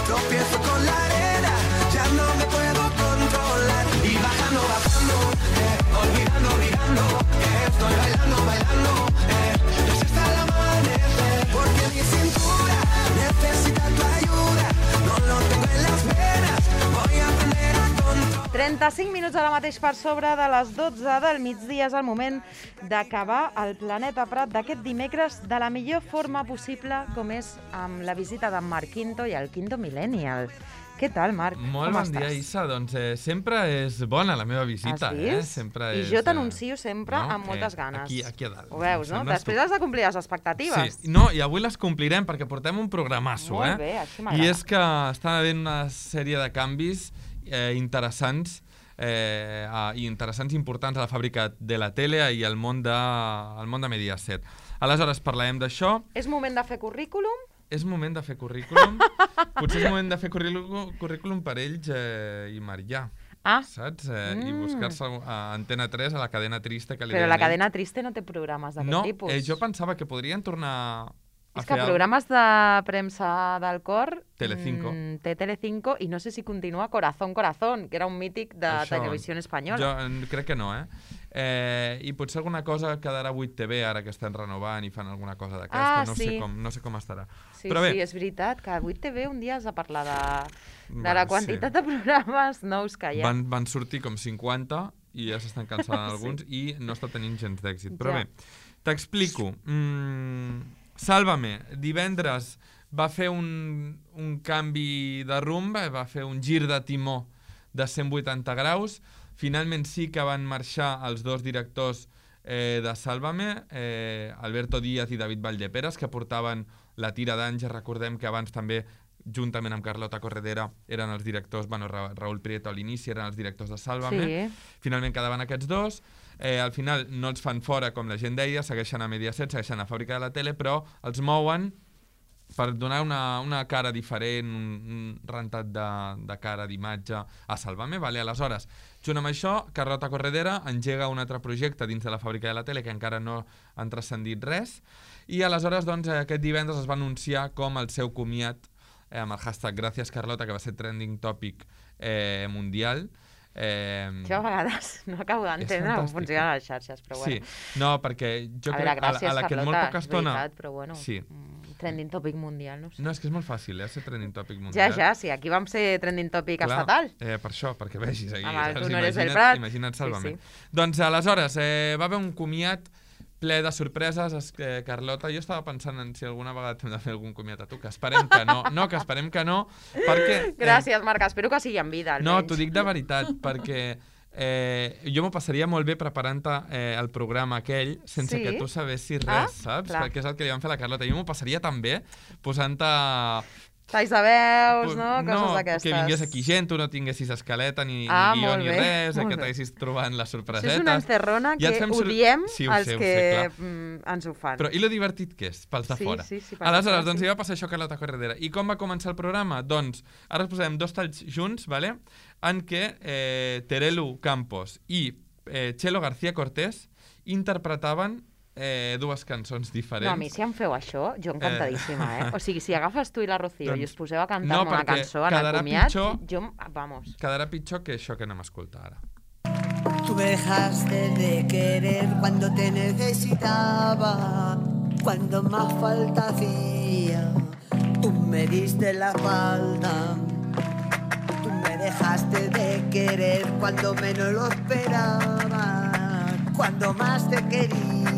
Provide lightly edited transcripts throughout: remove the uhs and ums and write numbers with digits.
tropiezo con la arena, ya no me puedo controlar. Y bajando, olvidando, olvidando, estoy bailando, bailando, resiste al amanecer, porque mi cintura necesita tu ayuda, no lo tengo en las venas, voy a aprender a controlar. 35 minuts ara mateix per sobre de les 12 del migdia. És el moment d'acabar el Planeta Prat d'aquest dimecres de la millor forma possible, com és amb la visita d'en Marc Quinto i el Quinto Millennial. Què tal, Marc? Molt bon dia, Issa. Doncs sempre és bona la meva visita. Has vist? Sempre I és, jo t'anuncio sempre amb moltes ganes. Aquí a dalt. Ho veus, no? Després has de complir les expectatives. Sí, no, i avui les complirem perquè portem un programasso, Molt bé, així m'agrada. I és que està havent una sèrie de canvis interessants i interessants i importants a la fàbrica de la tele i al món de Mediaset. Aleshores, parlarem d'això. És moment de fer currículum? És moment de fer currículum. Potser és moment de fer currículum per ells i Marià. Saps? I buscar-se a Antena 3, a la cadena triste que li Però deien la cadena triste no té programes d'aquest tipus. No, jo pensava que podrien tornar a és que programes de premsa del cor Telecinco. Té Telecinco i no sé si continua Corazón, Corazón, que era un mític de Televisió Espanyola. Jo crec que no, I potser alguna cosa quedarà a 8TV ara que estan renovant i fan alguna cosa d'aquesta. No sé com estarà. Sí, però bé, sí, és veritat que a 8TV un dia has de parlar de la quantitat de programes nous que hi ha. Van sortir com 50 i ja s'estan cancel·lant alguns i no està tenint gens d'èxit. Però bé, t'explico. Sálvame, divendres va fer un canvi de rumb, va fer un gir de timó de 180 graus. Finalment sí que van marxar els dos directors de Sálvame, Alberto Díaz i David Valldeperes, que portaven la tira d'Àngels. Recordem que abans també, juntament amb Carlota Corredera, eren els directors, Raúl Prieto a l'inici eren els directors de Sálvame. Sí. Finalment quedaven aquests dos. Al final no els fan fora, com la gent deia, segueixen a Mediaset, segueixen a Fàbrica de la Tele, però els mouen per donar una cara diferent, un rentat de cara, d'imatge a Sálvame. Aleshores, junt amb això, Carlota Corredera engega un altre projecte dins de la Fàbrica de la Tele que encara no han transcendit res, i aleshores aquest divendres es va anunciar com el seu comiat amb el hashtag Gracias Carlota, que va ser trending topic mundial. Jo a vegades no acabo d'entendre com funcionen les xarxes, però bueno. Sí, no, perquè jo crec que gràcies, a la que Carlota, molt poca estona... és veritat, però bueno, sí. Trending topic mundial, no sé. No, és que és molt fàcil, ser trending topic mundial. Ja, sí, aquí vam ser trending topic estatal. Per això, perquè vegis aquí. Amb els honores del Prat. Imagina't Sálvame. Doncs aleshores, va haver un comiat ple de sorpreses. Carlota, jo estava pensant en si alguna vegada hem de fer algun comiat a tu, que esperem que no. No, que esperem que no, perquè... Gràcies, Marc, espero que sigui en vida, almenys. No, t'ho dic de veritat, perquè jo m'ho passaria molt bé preparant-te el programa aquell sense que tu sabessis res, saps? Clar. Perquè és el que li van fer a la Carlota. Jo m'ho passaria tan bé posant-te... Talls de veus, no? Coses d'aquestes. Que vingués aquí gent, tu no tinguessis escaleta, ni guió, ni res, que t'haguessis trobant les sorpresetes. Això és una encerrona que odiem els que ens ho fan. Però i lo divertit que és, pels de fora. Sí, aleshores, doncs hi va passar això a Carlota Corredera. I com va començar el programa? Doncs ara us posarem dos talls junts, en què Terelu Campos i Chelo García Cortés interpretaven dues cançons diferents. No, a mi si em feu això, jo encantadíssima, O sigui, si agafes tu i la Rocío i us poseu a cantar una cançó en el comiat, jo, vamos. Quedarà pitjor que això que anem a escoltar ara. Tú me dejaste de querer cuando te necesitaba, cuando más falta hacía, tú me diste la falta. Tú me dejaste de querer cuando menos lo esperaba, cuando más te quería.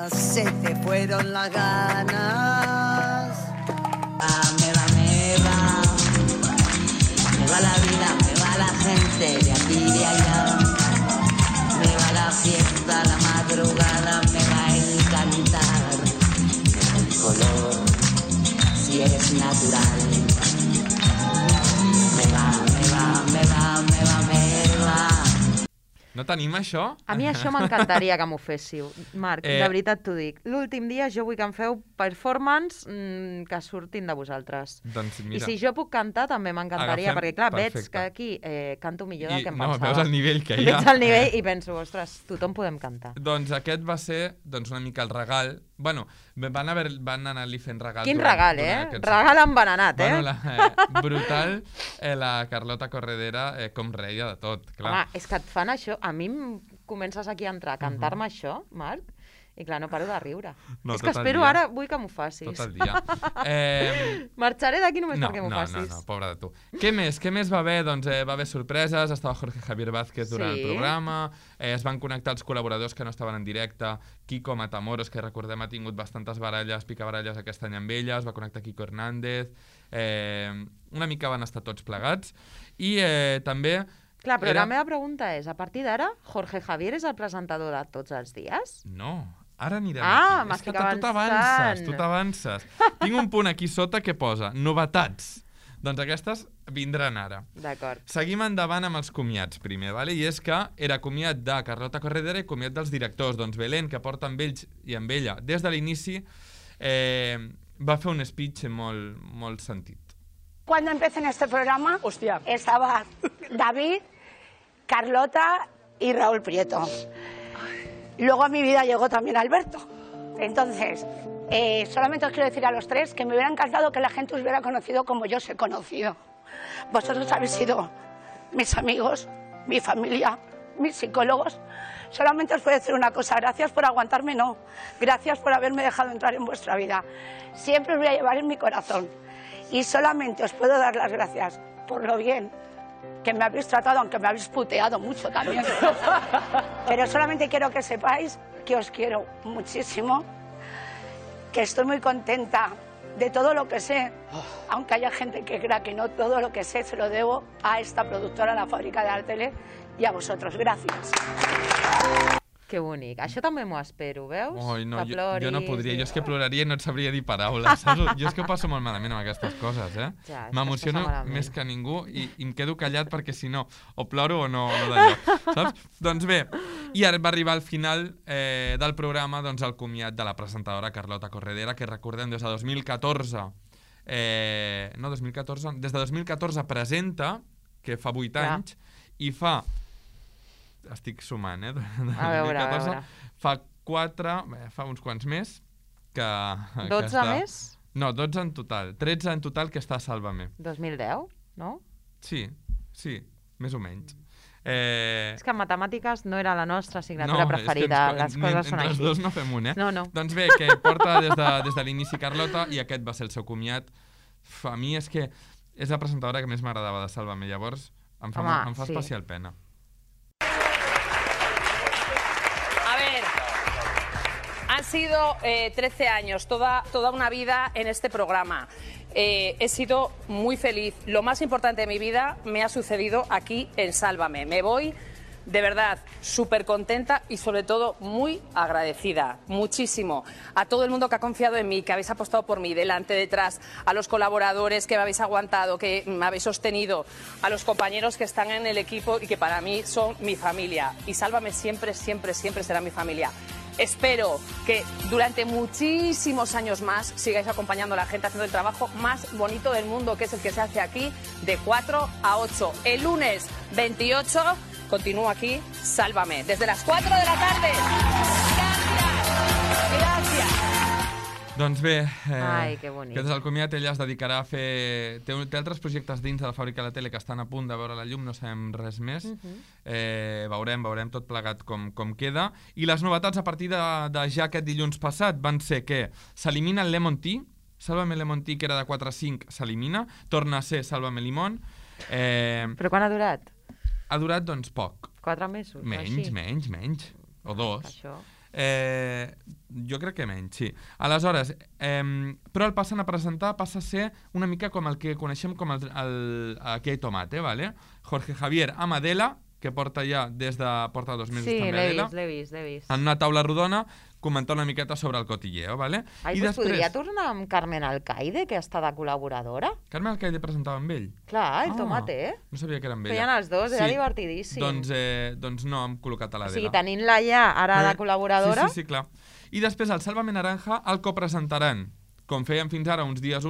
Se te fueron las ganas. Me va la vida, me va la gente de aquí y de allá. Me va la fiesta, la madrugada, me va a encantar. El color, si eres natural. Me va. No tenim això? A mi això m'encantaria que m'ho féssiu. Marc, de veritat t'ho dic. L'últim dia jo vull que em feu performance que surtin de vosaltres. Doncs mira. I si jo puc cantar també m'encantaria, perquè clar, veig que aquí canto millor del que em pensava. No, veus el nivell que hi ha. Veig el nivell i penso, ostres, tothom podem cantar. Doncs aquest va ser una mica el regal Bueno, van anar-li fent regals. Quin regal, Regal envenenat, Bueno, brutal, la Carlota Corredera com reia de tot, clar. Home, és que et fan això, a mi comences aquí a entrar a cantar-me això, Marc, i clar, no paro de riure. És que espero ara, vull que m'ho facis. Tot el dia. Marxaré d'aquí només perquè m'ho facis. No, pobra de tu. Què més va haver? Doncs va haver sorpreses, estava Jorge Javier Vázquez durant el programa, es van connectar els col·laboradors que no estaven en directe, Kiko Matamoros, que recordem ha tingut bastantes picabaralles aquest any amb ella, es va connectar Kiko Hernández, una mica van estar tots plegats, i també... Clar, però la meva pregunta és, a partir d'ara, Jorge Javier és el presentador de tots els dies? No. Ara anirem aquí. M'estic avançant. Tu t'avances. Tinc un punt aquí sota que posa novetats. Doncs aquestes vindran ara. D'acord. Seguim endavant amb els comiats primer, vale? I és que era comiat de Carlota Corredera i comiat dels directors. Doncs Belén, que porta amb ells i amb ella des de l'inici, va fer un speech molt sentit. Cuando empecé en este programa, estaba David, Carlota y Raúl Prieto. Luego a mi vida llegó también Alberto. Entonces, solamente os quiero decir a los tres que me hubiera encantado que la gente os hubiera conocido como yo os he conocido. Vosotros habéis sido mis amigos, mi familia, mis psicólogos. Solamente os puedo decir una cosa, gracias por aguantarme, no. Gracias por haberme dejado entrar en vuestra vida. Siempre os voy a llevar en mi corazón. Y solamente os puedo dar las gracias por lo bien que me habéis tratado, aunque me habéis puteado mucho también. Pero solamente quiero que sepáis que os quiero muchísimo, que estoy muy contenta de todo lo que sé, aunque haya gente que crea que no, todo lo que sé se lo debo a esta productora, a la Fàbrica de la Tele, i a vosaltres. Gràcies. Que bonic. Això també m'ho espero, veus? Oi, no, que ploris. Jo no podria. Jo és que ploraria i no et sabria dir paraules. Saps? Jo és que ho passo molt malament amb aquestes coses, Ja, m'emociono més que ningú i em quedo callat perquè si no, o ploro o no d'allò. Saps? Doncs bé, i ara va arribar al final del programa el comiat de la presentadora Carlota Corredera, que recordem des de 2014... No, 2014... Des de 2014 presenta, que fa 8 anys, i fa... Estic sumant, A veure. Fa uns quants més que 12 més? No, 12 en total. 13 en total que està a Sálvame. 2010, no? Sí, més o menys. És que en matemàtiques no era la nostra assignatura preferida. Les coses són així. Entre els dos no fem un, No. Doncs bé, que porta des de l'inici Carlota i aquest va ser el seu comiat. A mi és que és la presentadora que més m'agradava de Sálvame, llavors em fa especial pena. Han sido 13 años, toda una vida en este programa. He sido muy feliz. Lo más importante de mi vida me ha sucedido aquí en Sálvame. Me voy, de verdad, súper contenta y sobre todo muy agradecida. Muchísimo. A todo el mundo que ha confiado en mí, que habéis apostado por mí, delante, detrás, a los colaboradores que me habéis aguantado, que me habéis sostenido, a los compañeros que están en el equipo y que para mí son mi familia. Y Sálvame siempre, siempre, siempre será mi familia. Espero que durante muchísimos años más sigáis acompañando a la gente haciendo el trabajo más bonito del mundo, que es el que se hace aquí de 4 a 8. El lunes 28 continúo aquí, Sálvame, desde las 4 de la tarde. Gracias. Doncs bé, Ai, que bonic. Aquest és el comiat, ella es dedicarà a fer... Té altres projectes dins de la Fàbrica de la Tele que estan a punt de veure la llum, no sabem res més. Veurem tot plegat com queda. I les novetats a partir de ja aquest dilluns passat van ser que s'elimina el Lemon Tea, Sálvame Lemon Tea, que era de 4 a 5, s'elimina, torna a ser Sálvame Limón. Però quan ha durat? Ha durat, doncs, poc. 4 mesos? Menys. O 2. Això... jo crec que menys, sí. Aleshores, però el passen a presentar, passa a ser una mica com el que coneixem com Aquí hay tomate, ¿vale? Jorge Javier amb Adela, que porta 2 mesos també Adela. Sí, l'he vist. En una taula rodona, comentar una miqueta sobre el cotilleo, ¿vale? Ai, doncs podria tornar amb Carmen Alcaide, que està de col·laboradora? Carmen Alcaide presentava amb ell? Clar, el tomate, No sabia que era amb ella. Feien els dos, era divertidíssim. Doncs no, hem col·locat a l'Adela. O sigui, tenint-la ja ara de col·laboradora... Sí, clar. I després, al Sálvame Naranja, el copresentaran, com feien fins ara, uns dies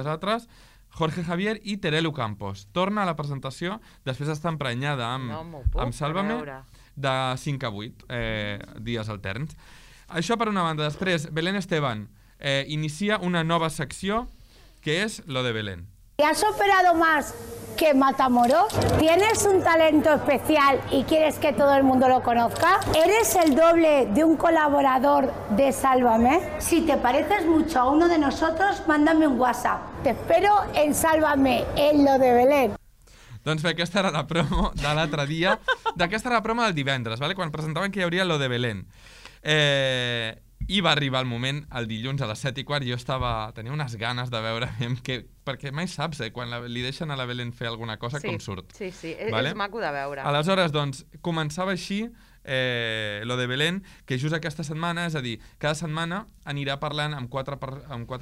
altres, Jorge Javier i Terelu Campos. Torna a la presentació, després d'estar emprenyada amb Sálvame, de 5 a 8 dies alterns. Això per una banda. Després, Belén Esteban inicia una nova secció que és lo de Belén. ¿Te has operado más que Matamoros? ¿Tienes un talento especial y quieres que todo el mundo lo conozca? ¿Eres el doble de un colaborador de Sálvame? Si te pareces mucho a uno de nosotros, mándame un WhatsApp. Te espero en Sálvame, en lo de Belén. Doncs bé, aquesta era la promo de l'altre dia. D'aquesta era la promo del divendres, vale? Quan presentaven que hi hauria lo de Belén. I va arribar el moment, el dilluns a les 7:15, jo tenia unes ganes de veure perquè mai saps, quan li deixen a la Belén fer alguna cosa, com surt. Sí, vale? És maco de veure. Aleshores, doncs, començava així lo de Belén, que just aquesta setmana, és a dir, cada setmana anirà parlant amb quatre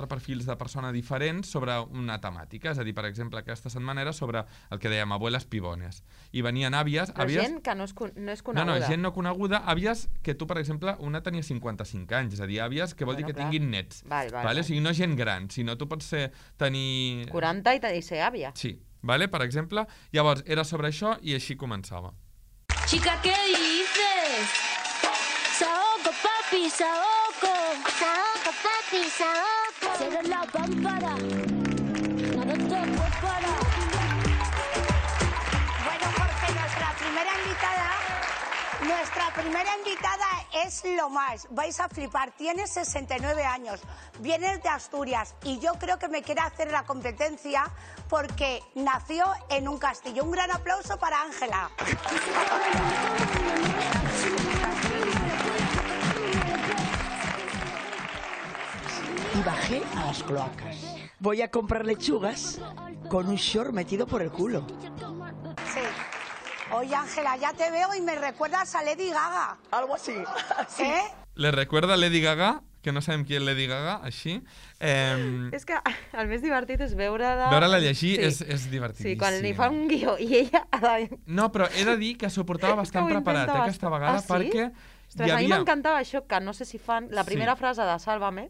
perfils de persona diferents sobre una temàtica. És a dir, per exemple, aquesta setmana era sobre el que dèiem abueles pibones. I venien àvies... Però gent que no és coneguda. No, gent no coneguda. Àvies que tu, per exemple, una tenia 55 anys, és a dir, àvies que vol dir que tinguin nets. Vale? O sigui, no gent gran, sinó tu pots tenir... 40 i ser àvia. Sí, vale? Per exemple. Llavors, era sobre això i així començava. Chica, ¿qué dices? Saoco, papi, saoco. Saoco, papi, saoco. Cierra la pámpara. Nada te para. Bueno, Jorge, nuestra primera invitada es lo más. Vais a flipar. Tiene 69 años. Vienes de Asturias y yo creo que me quiere hacer la competencia porque nació en un castillo. Un gran aplauso para Ángela. Y bajé a las cloacas. Voy a comprar lechugas con un short metido por el culo. Sí. Oye, Ángela, ya te veo y me recuerdas a Lady Gaga. Algo así. Sí. Le recuerda a Lady Gaga, que no sabem qui és Lady Gaga, així. És que el més divertit és veure-la... Veure-la llegir és divertidíssim. Sí, quan li fa un guió i ella... No, però he de dir que s'ho portava bastant preparat aquesta vegada, perquè Ostres, a mi m'encantava això, que no sé si fan la primera frase de Sálvame,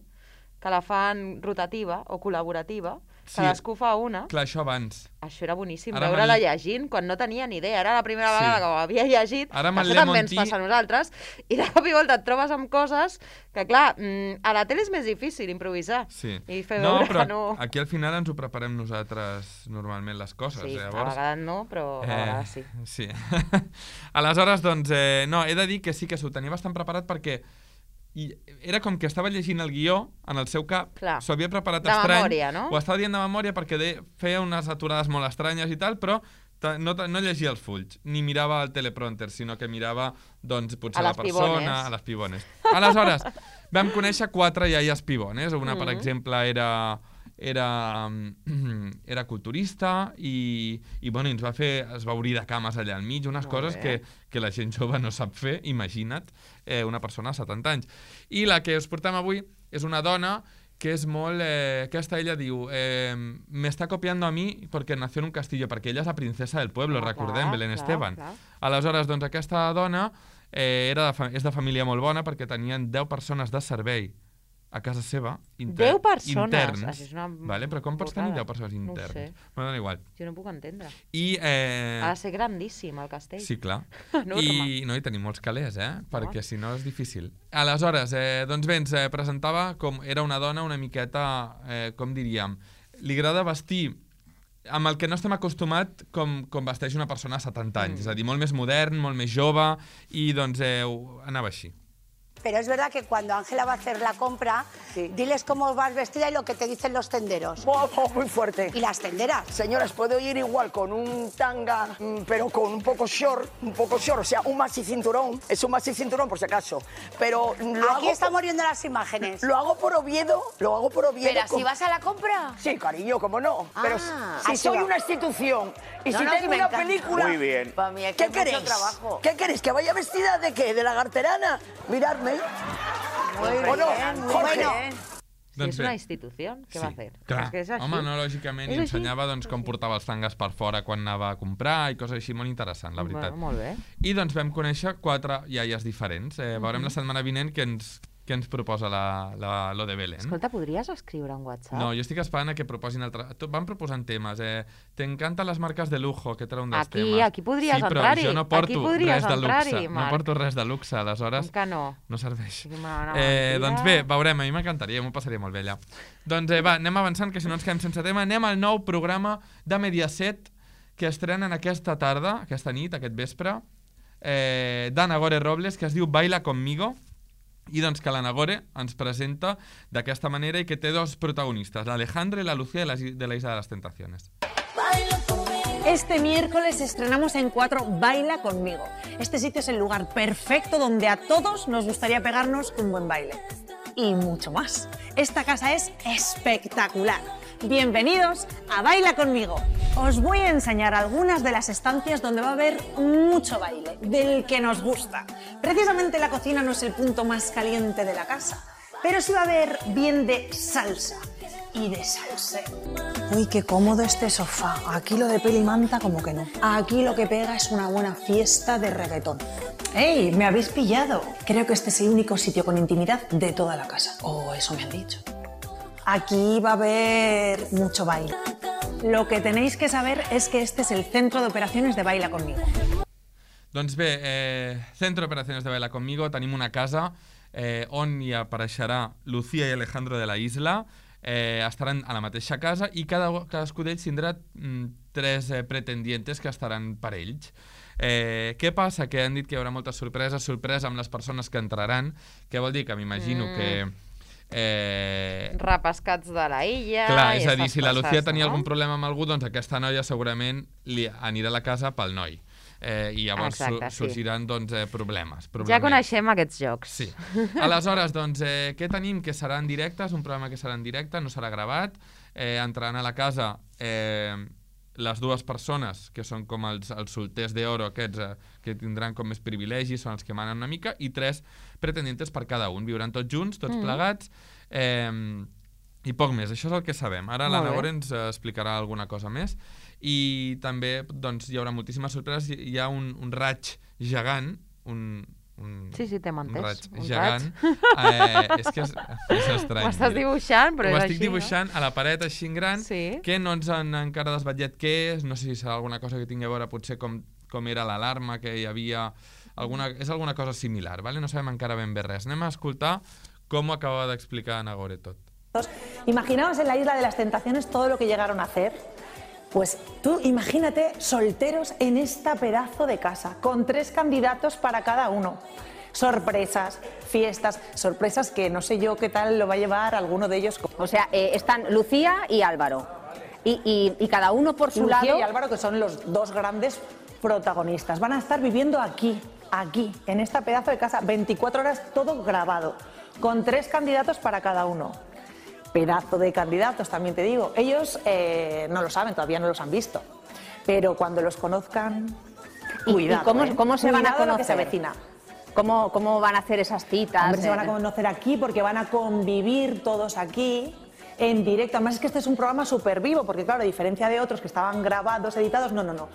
que la fan rotativa o col·laborativa, cadascú fa una. Clar, això abans. Això era boníssim, veure-la llegint, quan no tenia ni idea. Era la primera vegada que ho havia llegit, això també ens passa a nosaltres, i de cop i volta et trobes amb coses que, clar, a la tele és més difícil improvisar. Sí. I fer veure que no... Aquí al final ens ho preparem nosaltres normalment les coses. Sí, llavors... a vegades no, però a vegades sí. Sí. Aleshores, doncs, no, he de dir que sí que s'ho tenia bastant preparat perquè era com que estava llegint el guió en el seu cap, s'ho havia preparat estrany, de memòria, no? Ho estava dient de memòria perquè feia unes aturades molt estranyes i tal, però no llegia els fulls, ni mirava el teleprompter, sinó que mirava, doncs, potser la persona, a les pibones. Aleshores, vam conèixer 4 iaies pibones. Una, per exemple, era culturista i bueno, es va obrir de cames allà al mig, unes coses que la gent jove no sap fer, imagina't, una persona de 70 anys. I la que us portem avui és una dona que és molt... aquesta ella diu, me está copiando a mí porque nació en un castillo, perquè ella és la princesa del pueblo, recordem, Belén Esteban. Aleshores, doncs, aquesta dona és de família molt bona perquè tenien 10 persones de servei a casa seva, 10 persones? interns. Això és una... Vale, però com pots tenir 10 persones interns? No ho sé. M'ha donat igual. Jo no puc entendre. I, ha de ser grandíssim, el castell. Sí, clar. I tenim molts calés, perquè si no és difícil. Aleshores, doncs bé, ens presentava com era una dona una miqueta, com diríem, li agrada vestir amb el que no estem acostumat com vesteix una persona a 70 anys. És a dir, molt més modern, molt més jove, i doncs anava així. Pero es verdad que cuando Ángela va a hacer la compra, diles cómo vas vestida y lo que te dicen los tenderos. Muy fuerte. ¿Y las tenderas? Señoras, puedo ir igual con un tanga, pero con un poco short, o sea, un maxi cinturón. Es un maxi cinturón por si acaso. Pero aquí estamos viendo las imágenes. Lo hago por Oviedo, ¿Pero si vas a la compra? Sí, cariño, cómo no. Pero si soy una institución y si tengo una película... Muy bien. Para mí ¿Qué queréis? ¿Qué queréis? ¿Que vaya vestida de qué? ¿De lagarterana? Miradme. Muy bien, bueno. Si és una institució, què va fer? Clar, home, no, lògicament, i ensenyava com portava els tangues per fora quan anava a comprar i coses així molt interessant, la veritat. Molt bé. I doncs vam conèixer 4 iaies diferents. Veurem la setmana vinent que ens què ens proposa lo de Belén. Escolta, podries escriure un WhatsApp? No, jo estic esperant a que proposin van proposant temes. T'encanten les marques de lujo, que era un dels temes. Aquí podries entrar-hi. Sí, però jo no porto res de luxe. No porto res de luxe, aleshores no serveix. Doncs bé, veurem, a mi m'encantaria, m'ho passaria molt bé allà. Doncs va, anem avançant, que si no ens quedem sense tema. Anem al nou programa de Mediaset, que estrenen aquesta tarda, aquesta nit, aquest vespre, d'Ana Gore Robles, que es diu Baila Conmigo, i doncs que l'Anagore ens presenta d'aquesta manera i que té dos protagonistes, l'Alejandro y la Lucía de la Isla de las Tentaciones. Este miércoles estrenamos en 4 Baila Conmigo. Este sitio es el lugar perfecto donde a todos nos gustaría pegarnos un buen baile. Y mucho más. Esta casa es espectacular. Bienvenidos a Baila Conmigo. Os voy a enseñar algunas de las estancias donde va a haber mucho baile, del que nos gusta. Precisamente la cocina no es el punto más caliente de la casa, pero sí va a haber bien de salsa y de salseo. Uy, qué cómodo este sofá. Aquí lo de peli y manta como que no. Aquí lo que pega es una buena fiesta de reggaetón. ¡Ey! ¡Me habéis pillado! Creo que este es el único sitio con intimidad de toda la casa. Oh, eso me han dicho. Aquí va a haber mucho baile. Lo que tenéis que saber es que este es el centro de operaciones de Baila Conmigo. Doncs bé, centro de operaciones de Baila Conmigo, tenim una casa on hi apareixerà Lucía i Alejandro de la Isla, estaran a la mateixa casa i cadascú d'ells tindrà 3 pretendientes que estaran per ells. Què passa? Que han dit que hi haurà moltes sorpreses amb les persones que entraran, que vol dir que m'imagino que repescats de la illa... Clar, és a dir, si la Lucía tenia algun problema amb algú, doncs aquesta noia segurament li anirà a la casa pel noi. I llavors sorgiran problemes. Ja coneixem aquests jocs. Sí. Aleshores, doncs, què tenim? Que serà en directe, és un programa que serà en directe, no serà gravat. Entraran a la casa les 2 persones, que són com els solters d'oro aquests, que tindran com més privilegis, són els que manen una mica, i 3 pretendientes per cada un. Viuran tots junts, tots plegats, i poc més. Això és el que sabem. Ara l'Anagore ens explicarà alguna cosa més. I també doncs, hi haurà moltíssimes sorpreses. Hi ha un raig gegant, Sí, t'hem entès. Un gegant. És que és estrany. Ho estàs dibuixant, però és així, no? Ho estic dibuixant a la paret així en gran, que no ens han encara desvetllat què és, no sé si serà alguna cosa que tingui a veure potser com era l'alarma que hi havia, és alguna cosa similar, ¿vale? No sabem encara ben bé res. Anem a escoltar com ho acaba d'explicar Anagore tot. Imaginaos en la Isla de las Tentaciones todo lo que llegaron a hacer. Pues tú imagínate solteros en esta pedazo de casa, con 3 candidatos para cada uno. Sorpresas, fiestas, sorpresas que no sé yo qué tal lo va a llevar alguno de ellos. O sea, están Lucía y Álvaro. Y cada uno por su lado. Lucía y Álvaro, que son los 2 grandes protagonistas. Van a estar viviendo aquí, en esta pedazo de casa, 24 horas todo grabado, con 3 candidatos para cada uno. Pedazo de candidatos, también te digo. Ellos no lo saben, todavía no los han visto. Pero cuando los conozcan, cuidado. ¿Y cómo se van a conocer? Lo que se avecina. ¿Cómo van a hacer esas citas? Hombre, se van a conocer aquí porque van a convivir todos aquí en directo. Además es que este es un programa súper vivo, porque claro, a diferencia de otros que estaban grabados, editados, no.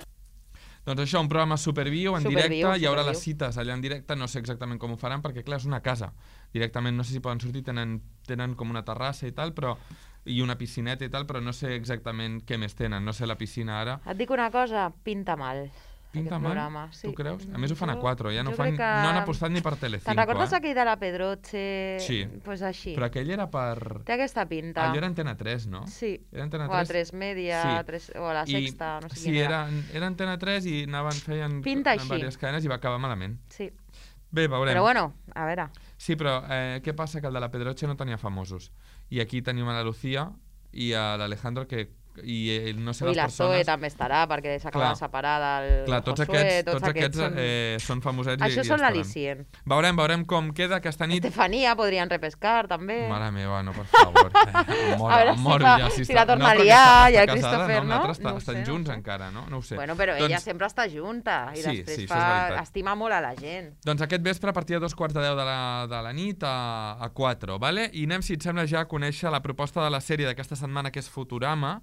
Doncs això, un programa superviu, en directe, hi haurà les cites allà en directe, no sé exactament com ho faran, perquè clar, és una casa. Directament no sé si poden sortir, tenen com una terrassa i tal, i una piscineta i tal, però no sé exactament què més tenen, no sé la piscina ara. Et dic una cosa, pinta mal. Pinta mal? Tu creus? A més ho fan a 4, ja no han apostat ni per Telecinco. Te'n recordes aquell de la Pedroche? Sí, pues així. Però aquell era per... Té aquesta pinta. Allò era Antena 3, no? Sí, o a 3 Media, o a la Sexta, no sé quina era. Sí, era Antena 3 i feien diverses cadenes i va acabar malament. Sí. Bé, veurem. Però bueno, a veure. Sí, però què passa? Que el de la Pedroche no tenia famosos. I aquí tenim a la Lucía i a l'Alejandro que... I no sé les persones... I la Zoe també estarà, perquè s'acaba de separar del Josué. Tots aquests són famosets. Això són l'al·licient. Veurem com queda aquesta nit. Estefania podrien repescar, també. Mare meva, no, per favor. Em moro ja. Si la tornaria i el Christopher, no? Estan junts encara, no? No ho sé. Bueno, però ella sempre està junta i després estima molt a la gent. Doncs aquest vespre, a partir de 2:45 de la nit, a 4, vale? I anem, si et sembla, ja a conèixer la proposta de la sèrie d'aquesta setmana, que és Futurama,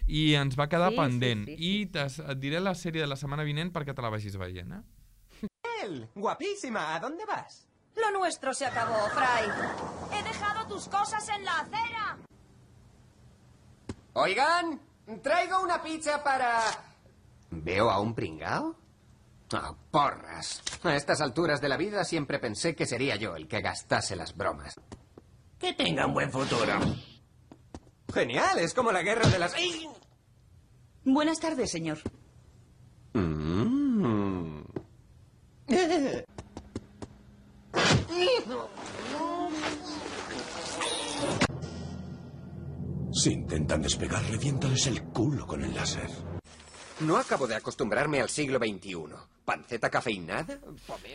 i ens va quedar pendent. I et diré la sèrie de la setmana vinent perquè te la vagis veient, Guapísima, ¿a dónde vas? Lo nuestro se acabó, Fry. He dejado tus cosas en la acera. Oigan, traigo una pizza para... ¿Veo a un pringao? Oh, porras. A estas alturas de la vida siempre pensé que sería yo el que gastase las bromas. Que tenga un buen futuro. Genial, es como la guerra de las... ¡Ay! Buenas tardes, señor. Si intentan despegar, reviéntales el culo con el láser. No acabo de acostumbrarme al siglo XXI. ¿Panceta cafeinada?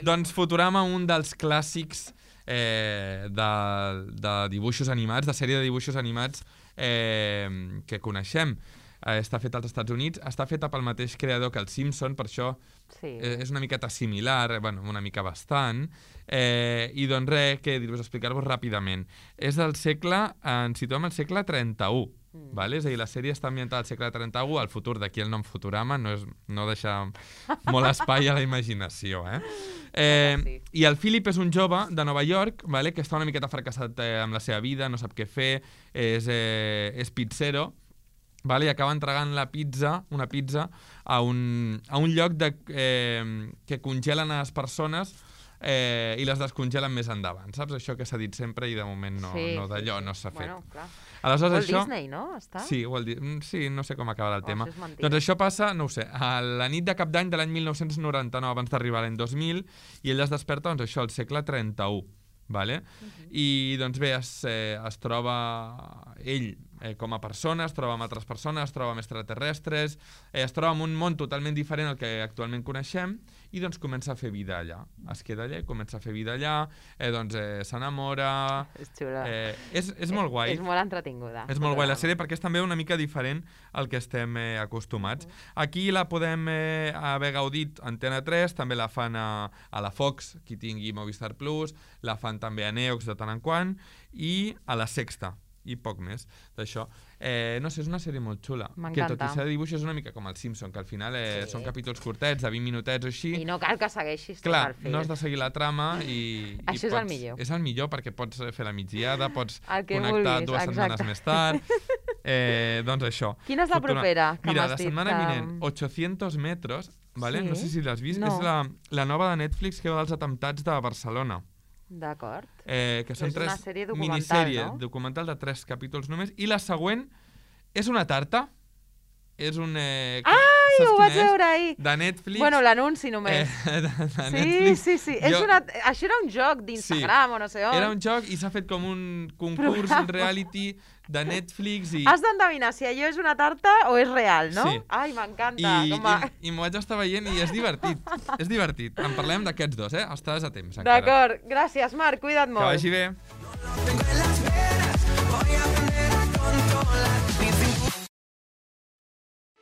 Doncs Futurama, un dels clàssics de dibuixos animats, de sèrie de dibuixos animats que coneixem. Està fet als Estats Units, està feta pel mateix creador que els Simpson, per això és una miqueta similar, bueno, una mica bastant, i doncs res, què dir-vos, explicar-vos ràpidament. És del segle, ens situem al segle 31, vale? És a dir, la sèrie està ambientada al segle 31, el futur d'aquí el nom Futurama no deixa molt espai a la imaginació, I el Philip és un jove de Nova York, vale? Que està una miqueta fracassat amb la seva vida, no sap què fer, és pizzero, vale? I acaba entregant una pizza a un lloc que congelen a les persones i les descongelen més endavant. Saps això que s'ha dit sempre i de moment d'allò no s'ha fet. Walt Disney, no? Està? Sí, no sé com acabarà el tema. Doncs això passa, no ho sé, a la nit de cap d'any de l'any 1999, abans d'arribar a l'any 2000, i ell es desperta, doncs això, al segle 31. Vale? I doncs bé, es troba ell com a persona, es troba amb altres persones, es troba amb extraterrestres, es troba en un món totalment diferent al que actualment coneixem i doncs comença a fer vida allà. Es queda allà i comença a fer vida allà, doncs s'enamora... És xula. És molt guai. És molt entretinguda. És molt guai la sèrie perquè és també una mica diferent al que estem acostumats. Aquí la podem haver gaudit a Antena 3, també la fan a la Fox, qui tingui Movistar Plus, la fan també a Neox de tant en quant, i a la Sexta, i poc més d'això. No sé, és una sèrie molt xula. Que tot i ser de dibuix és una mica com el Simpson, que al final són capítols curtets, de 20 minutets o així. I no cal que segueixis tot el fil. No has de seguir la trama i... Això és el millor. És el millor perquè pots fer la migdiada, pots connectar vulguis, 2 setmanes més tard. Doncs això. Quina és la propera? Mira, la setmana vinent, 800 metros, vale? No sé si l'has vist, és la nova de Netflix que va dels atemptats de Barcelona. D'acord. Que són 3 una sèrie documental, minissèrie no? documental de 3 capítols només, i la següent és una tarta, és un... Ho vaig veure ahir. De Netflix. Bueno, l'anunci només. Sí. Això era un joc d'Instagram o no sé on. Era un joc i s'ha fet com un concurs, un reality de Netflix i... Has d'endevinar si allò és una tarta o és real, no? Sí. Ai, m'encanta. I m'ho vaig estar veient i és divertit. És divertit. En parlem d'aquests dos, Estàs a temps, encara. D'acord. Gràcies, Marc. Cuida't molt. Que vagi bé. Tengo en las venas, voy a aprender a controlar.